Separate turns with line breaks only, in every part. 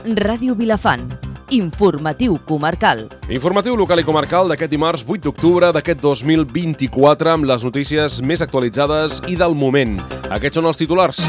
Ràdio Vilafant. Informatiu comarcal.
Informatiu local i comarcal d'aquest dimarts 8 d'octubre d'aquest 2024 amb les notícies més actualitzades i del moment. Aquests són els titulars.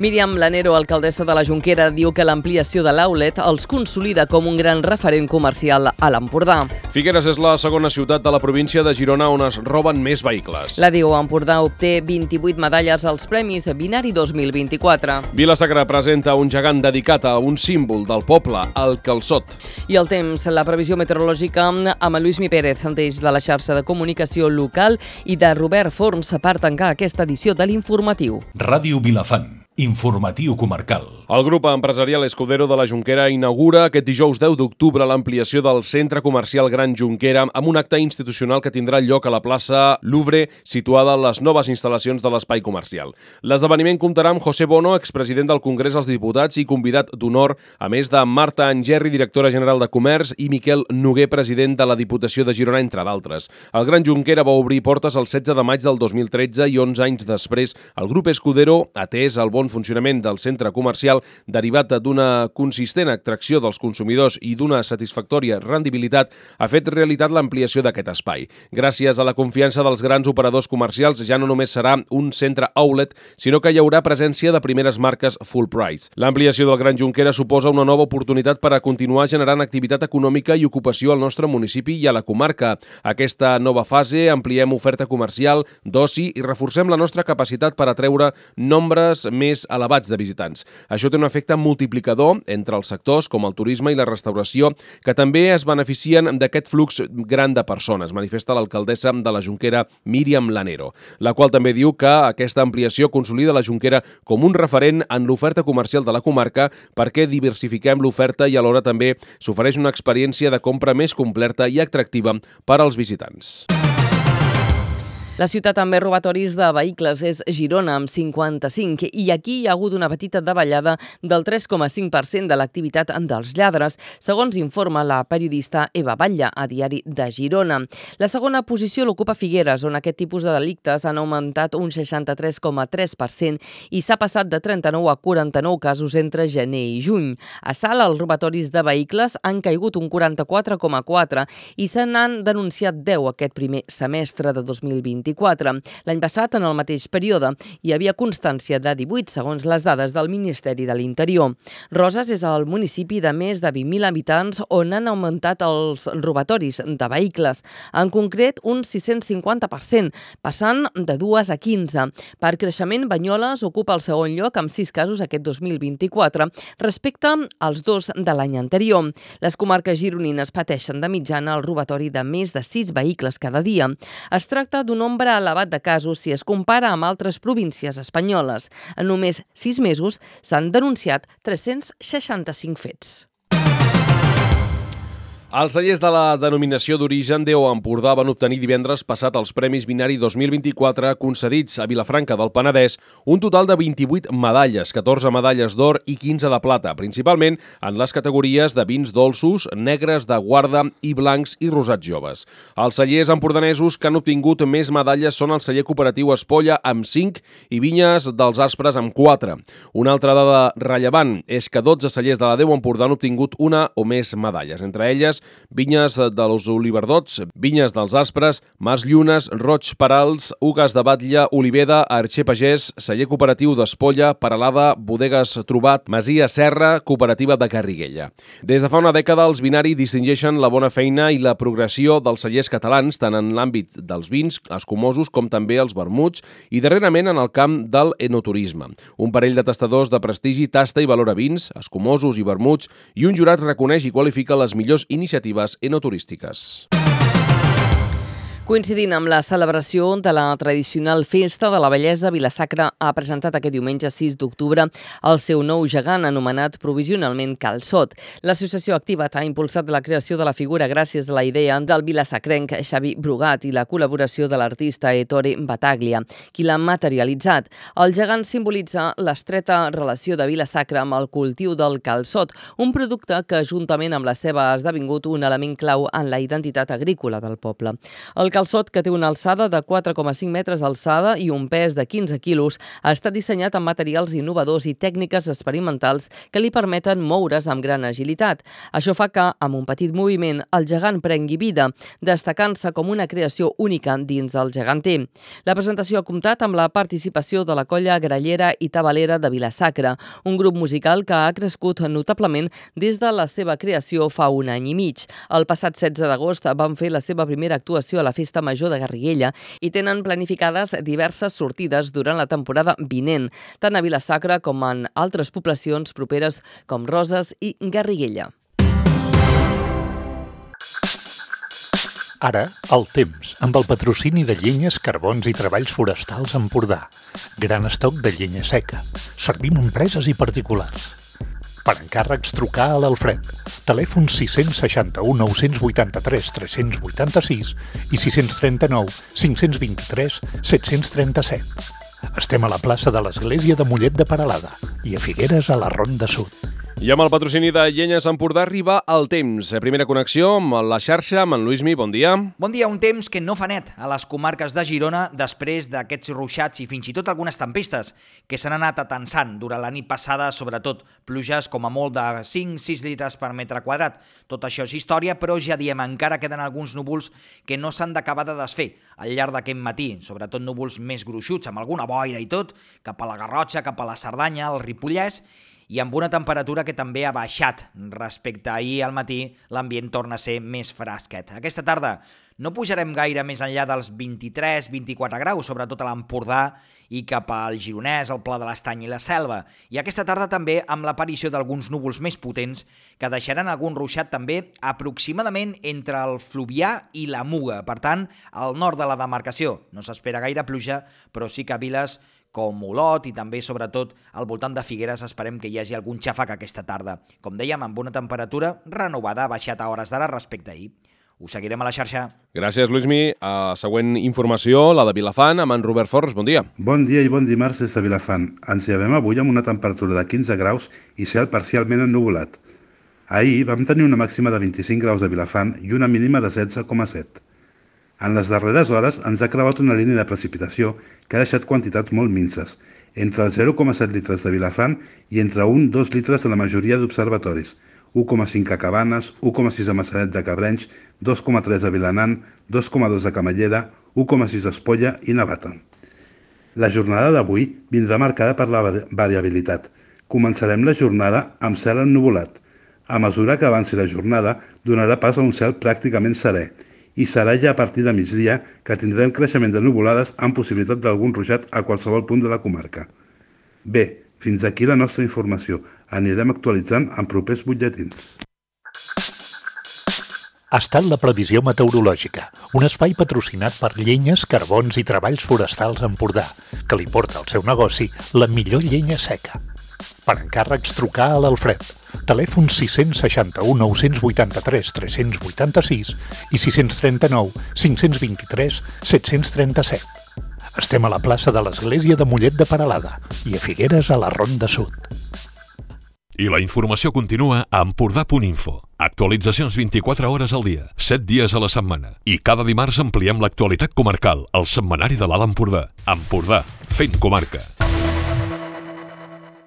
Míriam Lanero, alcaldessa de la Jonquera, diu que l'ampliació de l'outlet els consolida com un gran referent comercial a l'Empordà.
Figueres és la segona ciutat de la província de Girona on es roben més vehicles.
La DIO Empordà obté 28 medalles als Premis Binari 2024.
Vila-sacra presenta un gegant dedicat a un símbol del poble, el calçot.
I el temps, la previsió meteorològica amb Lluís Mi Pérez, des de la xarxa de comunicació local, i de Robert Forns per tancar aquesta edició de l'Informatiu.
Ràdio Vilafant. Informatiu comarcal.
El grup empresarial Escudero de la Jonquera inaugura aquest dijous 10 d'octubre l'ampliació del centre comercial Gran Jonquera amb un acte institucional que tindrà lloc a la plaça Louvre, situada a les noves instal·lacions de l'espai comercial. L'esdeveniment comptarà amb José Bono, expresident del Congrés dels Diputats i convidat d'honor, a més de Marta Angerri, directora general de Comerç, i Miquel Noguer, president de la Diputació de Girona, entre d'altres. El Gran Jonquera va obrir portes el 16 de maig del 2013 i 11 anys després el grup Escudero, atès al bon funcionament del centre comercial derivat d'una consistent atracció dels consumidors i d'una satisfactòria rendibilitat, ha fet realitat l'ampliació d'aquest espai. Gràcies a la confiança dels grans operadors comercials, ja no només serà un centre outlet, sinó que hi haurà presència de primeres marques full price. L'ampliació del Gran Jonquera suposa una nova oportunitat per a continuar generant activitat econòmica i ocupació al nostre municipi i a la comarca. Aquesta nova fase ampliem oferta comercial, d'oci i reforcem la nostra capacitat per atreure nombres més elevats de visitants. Això té un efecte multiplicador entre els sectors com el turisme i la restauració, que també es beneficien d'aquest flux gran de persones, manifesta l'alcaldessa de la Jonquera, Míriam Lanero, la qual també diu que aquesta ampliació consolida la Jonquera com un referent en l'oferta comercial de la comarca perquè diversifiquem l'oferta i alhora també s'ofereix una experiència de compra més completa i atractiva per als visitants.
La ciutat amb més robatoris de vehicles és Girona, amb 55, i aquí hi ha hagut una petita davallada del 3,5% de l'activitat dels lladres, segons informa la periodista Eva Batlle a Diari de Girona. La segona posició l'ocupa Figueres, on aquest tipus de delictes han augmentat un 63,3% i s'ha passat de 39 a 49 casos entre gener i juny. A Salt, els robatoris de vehicles han caigut un 44,4% i se n'han denunciat 10 aquest primer semestre de 2024. L'any passat, en el mateix període, hi havia constància de 18, segons les dades del Ministeri de l'Interior. Roses és el municipi de més de 20.000 habitants on han augmentat els robatoris de vehicles, en concret un 650%, passant de 2 a 15. Per creixement, Banyoles ocupa el segon lloc amb 6 casos aquest 2024 respecte als 2 de l'any anterior. Les comarques gironines pateixen de mitjana el robatori de més de 6 vehicles cada dia. Es tracta d'un nombre elevat de casos si es compara amb altres províncies espanyoles. En només 6 mesos s'han denunciat 365 fets.
Els cellers de la denominació d'origen DIO Empordà van obtenir divendres passat els Premis Binari 2024 concedits a Vilafranca del Penedès un total de 28 medalles, 14 medalles d'or i 15 de plata, principalment en les categories de vins dolços, negres de guarda i blancs i rosats joves. Els cellers empordanesos que han obtingut més medalles són el celler cooperatiu Espolla amb 5 i Vinyes dels Aspres amb 4. Una altra dada rellevant és que 12 cellers de la DIO Empordà han obtingut una o més medalles, entre elles Vinyes dels Oliverdots, Vinyes dels Aspres, Mas Llunes, Roig Perals, Ugues de Batlle, Oliveda, Arxer Pagès, celler cooperatiu d'Espolla, Peralada, Bodegues Trobat, Masia Serra, cooperativa de Garriguella. Des de fa una dècada, els Binari distingeixen la bona feina i la progressió dels cellers catalans, tant en l'àmbit dels vins escumosos com també els vermuts i darrerament en el camp del enoturisme. Un parell de tastadors de prestigi tasta i valora vins, escumosos i vermuts i un jurat reconeix i qualifica les millors iniciatives enoturístiques.
Coincidint amb la celebració de la tradicional Festa de la Bellesa, Vila-sacra ha presentat aquest diumenge 6 d'octubre el seu nou gegant anomenat provisionalment Calçot. L'Associació Activat ha impulsat la creació de la figura gràcies a la idea del vilasacrenc Xavi Brugat i la col·laboració de l'artista Ettore Battaglia, qui l'ha materialitzat. El gegant simbolitza l'estreta relació de Vila-sacra amb el cultiu del calçot, un producte que juntament amb la ceba ha esdevingut un element clau en la identitat agrícola del poble. El calçot, que té una alçada de 4,5 metres d'alçada i un pes de 15 quilos, ha estat dissenyat amb materials innovadors i tècniques experimentals que li permeten moure's amb gran agilitat. Això fa que, amb un petit moviment, el gegant prengui vida, destacant-se com una creació única dins el geganter. La presentació ha comptat amb la participació de la colla grallera i tabalera de Vila-sacra, un grup musical que ha crescut notablement des de la seva creació fa un any i mig. El passat 16 d'agost van fer la seva primera actuació a la Festa Major de Garriguella i tenen planificades diverses sortides durant la temporada vinent, tant a Vila-sacra com en altres poblacions properes com Roses i Garriguella.
Ara, el temps, amb el patrocini de Llenyes, Carbons i Treballs Forestals Empordà. Gran estoc de llenya seca. Servim empreses i particulars. Per encàrrecs, trucar a l'Alfred. Telèfon 661 983 386 i 639 523 737. Estem a la plaça de l'Església de Mollet de Peralada i a Figueres, a la Ronda Sud.
I amb el patrocini de Llenyes Empordà arriba el temps. Primera connexió amb la xarxa, amb en Luismi, bon dia.
Bon dia, un temps que no fa net a les comarques de Girona després d'aquests ruixats i fins i tot algunes tempestes que s'han anat atensant durant la nit passada, sobretot pluges com a molt de 5-6 litres per metre quadrat. Tot això és història, però ja diem, encara queden alguns núvols que no s'han d'acabar de desfer al llarg d'aquest matí, sobretot núvols més gruixuts, amb alguna boira i tot, cap a la Garrotxa, cap a la Cerdanya, al Ripollès, i amb una temperatura que també ha baixat respecte a ahir al matí, l'ambient torna a ser més fresquet. Aquesta tarda no pujarem gaire més enllà dels 23-24 graus, sobretot a l'Empordà i cap al Gironès, al Pla de l'Estany i la Selva. I aquesta tarda també amb l'aparició d'alguns núvols més potents que deixaran algun ruixat també aproximadament entre el Fluvià i la Muga. Per tant, al nord de la demarcació no s'espera gaire pluja, però sí que a viles com Olot i també, sobretot, al voltant de Figueres esperem que hi hagi algun xàfec aquesta tarda. Com dèiem, amb una temperatura renovada, ha baixat a hores d'ara respecte a ahir. Us seguirem a la xarxa.
Gràcies, Luismi. Següent informació, la de Vilafant, amb en Robert Forns. Bon dia.
Bon dia i bon dimarts des de Vilafant. Ens llevem avui amb una temperatura de 15 graus i cel parcialment ennuvolat. Ahir vam tenir una màxima de 25 graus a Vilafant i una mínima de 16,7. En les darreres hores ens ha creuat una línia de precipitació que ha deixat quantitats molt minces, entre els 0,7 litres de Vilafant i entre 1-2 litres de la majoria d'observatoris, 1,5 a Cabanes, 1,6 a Massanet de Cabrenys, 2,3 a Vilanant, 2,2 a Camallera, 1,6 a Espolla i Navata. La jornada d'avui vindrà marcada per la variabilitat. Començarem la jornada amb cel ennuvolat. A mesura que avanci la jornada, donarà pas a un cel pràcticament serè, i serà ja a partir de migdia que tindrem creixement de nuvolades amb possibilitat d'algun ruixat a qualsevol punt de la comarca. Bé, fins aquí la nostra informació. Anirem actualitzant en propers butlletins.
Ha estat la previsió meteorològica, un espai patrocinat per Llenyes, Carbons i Treballs Forestals Empordà, que li porta al seu negoci la millor llenya seca. Per encàrrecs, trucar a l'Alfred. Telèfon 661 983 386 i 639 523 737. Estem a la plaça de l'Església de Mollet de Peralada i a Figueres, a la Ronda Sud.
I la informació continua a Empordà.info. Actualitzacions 24 hores al dia, 7 dies a la setmana. I cada dimarts ampliem l'actualitat comarcal, al setmanari de l'Alt Empordà. Empordà, fent comarca.